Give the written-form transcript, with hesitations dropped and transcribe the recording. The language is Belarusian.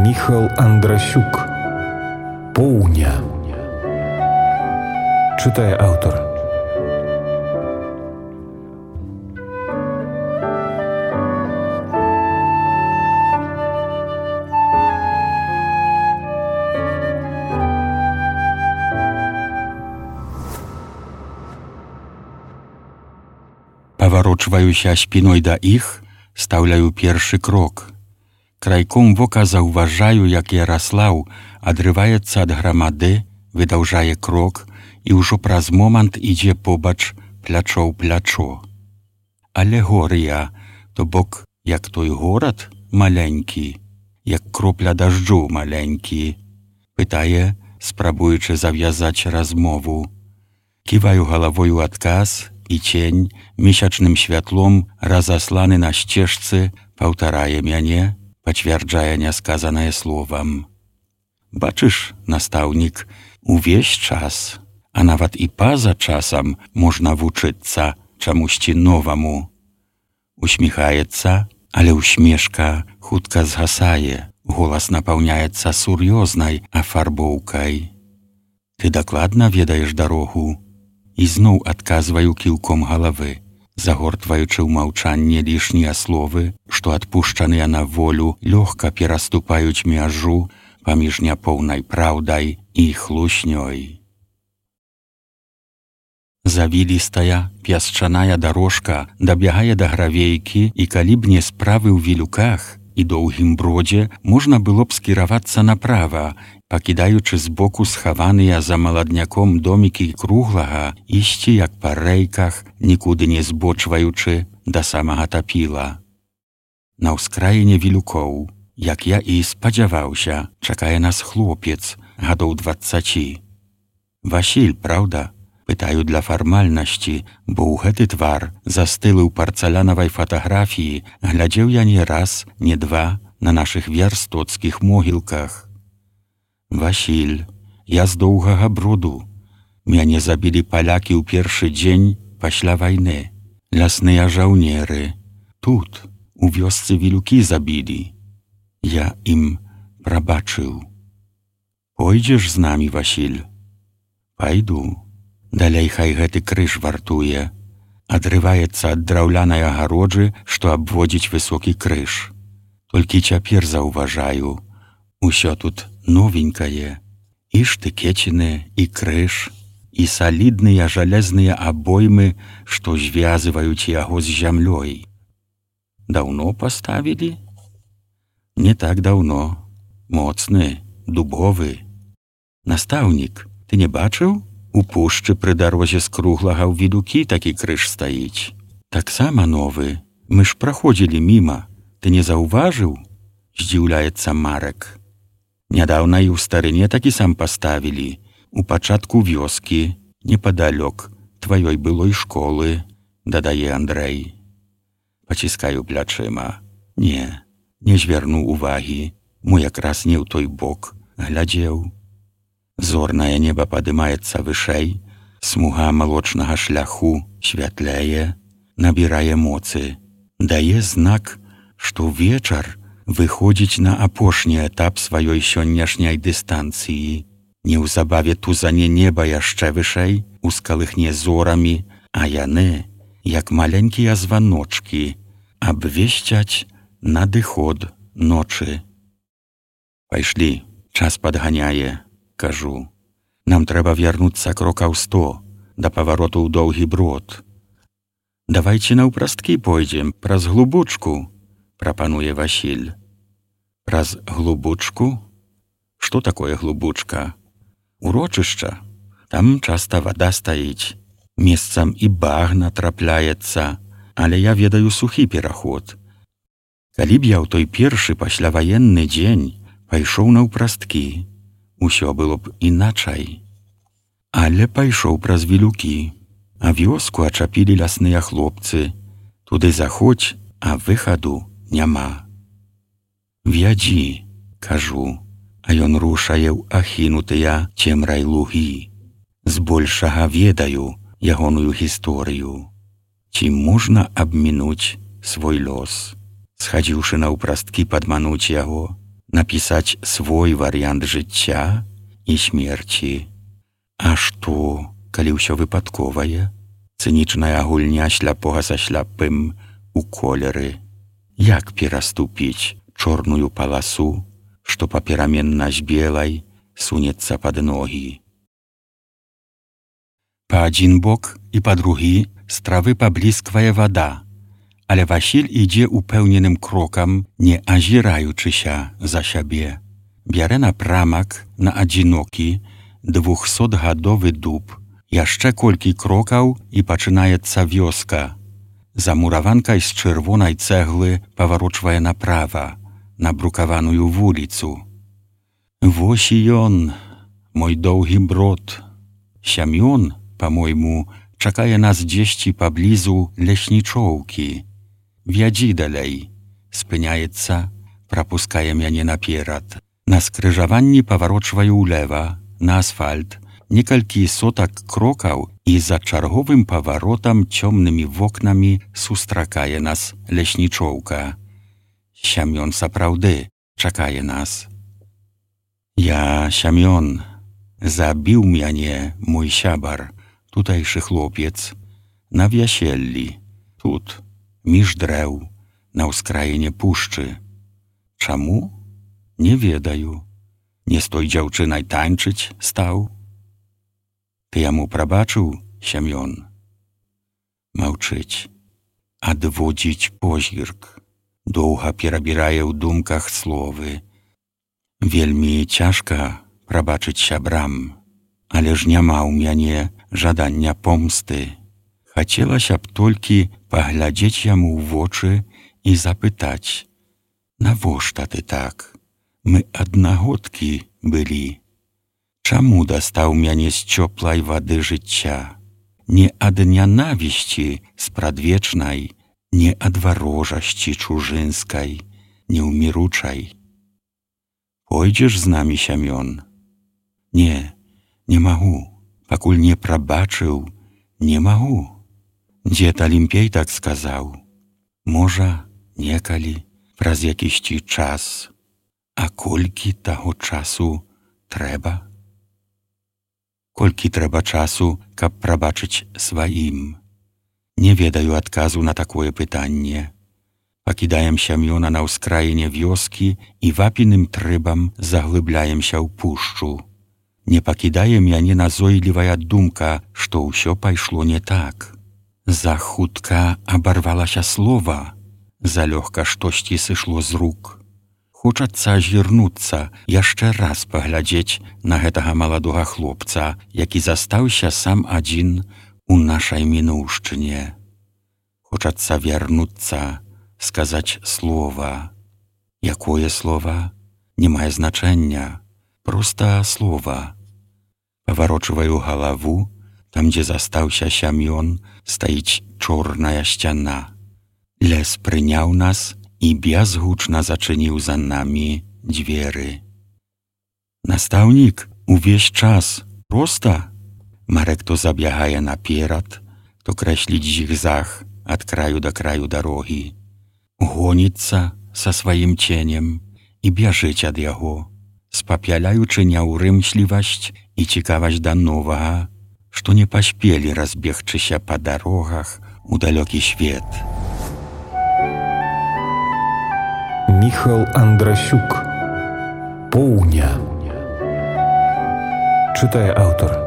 Міхал Андрасюк. Поўня. Чытае аўтар. Паварочваюся спіной да іх, стаўляю першы крок. Крайком вока заўважаю, як Яраслаў адрываецца ад грамады, выдаўжае крок і ўжо праз момант ідзе побач плячо ў плячо. Алегорыя, то бок, як той горад маленькі, як кропля дажджу маленькі, пытае, спрабуючы завязаць размову. Ківаю галавой у адказ, і цень месячным святлом, разасланы на сцежцы, паўтарае мяне, пацвярджае несказанае словам. Бачыш, настаўнік, увесь час, а нават і па-за часам можна вучыцца чамусьці новаму. Усміхаецца, але усмешка хутка згасае, голас напаўняецца сур'ёзнай афарбоўкай. Ты дакладна ведаеш дарогу? І зноў адказваю кіўком галавы, загортваючы ў маўчанне лішнія словы, што адпушчаныя на волю лёгка пераступаюць мяжу паміж няпоўнай праўдай і хлуснёй. Завілістая, пясчаная дарожка дабягае да гравейкі, і калі б не справы ў вілюках і доўгім бродзе, можна было б скіравацца направа, пакідаючы збоку схаваныя за маладняком домікі круглага, ісці як па рэйках, нікуды не збочваючы да самага тапіла. На ўскраіне вілюкоў, як я і спадзяваўся, чакае нас хлопец гадоў 20. Васіль, праўда? Пытаю для фармальнасці, бо ў гэты твар, застылы ў парцалянавай фатаграфіі, глядзеў я не раз, не два на нашых вярстоцкіх могілках. Васіль, я з доўгага броду. Мяне забілі палякі ў першы дзень пасля вайны. Лясныя жаўнеры. Тут, у вёсцы вілюкі забілі. Я ім прабачыў. Пойдзеш з намі, Васіль? Пайду. Далей хай гэты крыж вартуе. Адрываецца ад драўлянай агароджы, што абводзіць высокі крыж. Толькі цяпер заўважаю, усё тут новенькае, і штыкеціны, і крыж, і салідныя жалезныя абоймы, што звязваюць яго з зямлёй. Даўно паставілі? Не так даўно. Моцны, дубовы. Настаўнік, ты не бачыў? У пушчы пры дарозе з круглага ў вілюкі такі крыж стаіць. Таксама новы. Мы ж праходзілі міма. Ты не заўважыў? Здзіўляецца Марек. Нядаўна і ў старыне такі сам паставілі, у пачатку вёскі, непадалёк тваёй былой школы, дадае Андрэй. Паціскаю плячыма. Не звярну увагі, мо якраз не ў той бок глядзеў. Зорнае неба падымаецца вышэй, смуга малочнага шляху святляе, набірае моцы, дае знак, што вечар выходзіць на апошні этап сваёй сённяшняй дыстанцыі. Неўзабаве тузане неба яшчэ вышэй, ускалыхне зорамі, а яны, як маленькія званочкі, абвесцяць надыход ночы. Пайшлі, час падганяе, кажу. Нам трэба вярнуцца крокаў 100 да павароту ў доўгі брод. Давайце наўпрасткі пойдзем, праз глубочку, прапануе Васіль. Праз глубочку? Што такое глубочка? Урочышча. Там часта вада стаіць. Месцам і багна трапляецца, але я ведаю сухі пераход. Калі б я ў той першы пасляваенны дзень пайшоў наўпрасткі, усё было б іначай. Але пайшоў праз вілюкі, а вёску ачапілі лясныя хлопцы. Туды заходзь, а выхаду няма. Вядзі, кажу, а ён рушае ў ахінутыя цемрай лугі. Збольшага ведаю ягоную гісторыю. Ці можна абмінуць свой лёс? Схадзіўшы наўпрасткі падмануць яго, napisać swój wariant życia i śmierci. A што, калі ўсё выпадковае? Цынічная гульня śляпога са śляпым у колеры. Як пераступіць чорную паласу, што папераменна з белай сунецца пад ногі? Па адзін бок і па другі з травы паблісквае вада, але Васіль ідзе упэўненым крокам, не азіраючыся за сябе. Бярэ напрамак на адзінокі 200-гадовы дуб. Яшчэ колькі крокаў і пачынаецца вёска. Замураванкай з чырвонай цэглы паварочвае направа, на брукаваную вуліцу. Вось і ён, мой доўгі брод. Сямён, па-мойму, чакае нас дзесьці паблізу леснічоўкі. Вядзі далей. Спыняецца, прапускае мяне наперад. На скрыжаванні паварочваю ўлева, на асфальт, некалькі сотак крокаў і за чарговым паваротам цёмнымі вокнамі сустракае нас леснічоўка. Сямён сапраўды чакае нас. Я Сямён. Забіў мяне мой сябар, тутэйшы хлопец, на вяселлі, тут, між дрэў, на ўскраіне пушчы. Чаму? Не ведаю. Не з той дзяўчынай танчыць стаў? Ты яму прабачыў, Сямён? Маўчыць. Адводзіць позірк. Доўга перабірае ў думках словы. Вельмі цяжка прабачыць сябрам, але ж няма ў мяне жадання помсты. Хацелася б толькі паглядзець яму ў вочы і запытаць: навошта ты так? Мы аднагодкі былі. Чаму дастаў мяне з цёплай вады жыцця? Не ад нянавісці спрадвечнай, не ад варожасці чужынскай, неўміручай. Пойдзеш з намі, Сямён? Не, не магу, пакуль не прабачыў, не магу. Дзед Алімпей так сказаў. Можа, некалі, праз якісьці час. А колькі таго часу трэба? Колькі трэба часу, каб прабачыць сваім? Не ведаю адказу на такое пытанне. Пакідаем Сямёна на ўскраіне вёскі і вапіным трыбам заглыбляемся ў пушчу. Не пакідае мяне назойлівая думка, што ўсё пайшло не так. Захутка абарвалася слова, залёгка штосьці сышло з рук. Хочацца азірнуцца, яшчэ раз паглядзець на гэтага маладога хлопца, які застаўся сам адзін у нашай мінуўшчыне. Хочацца вярнуцца, сказаць слова. Якое слова? Не мае значэння. Проста слова. Паварочваю галаву, там, дзе застаўся Сямён, стаіць чорная сцяна. Лес прыняў нас і бязгучна зачыніў за намі дзверы. Настаўнік, увесь час, проста? Марек то забягае наперад, то крэсліць зігзаг ад краю да краю дарогі. Гоніцца са сваім ценем і бяжыць ад яго, спапяляючы няўрымслівасць і цікавасць да новага, што не паспелі разбегчыся па дарогах у далёкі свет. Міхал Андрасюк. Поўня. Чытае аўтар.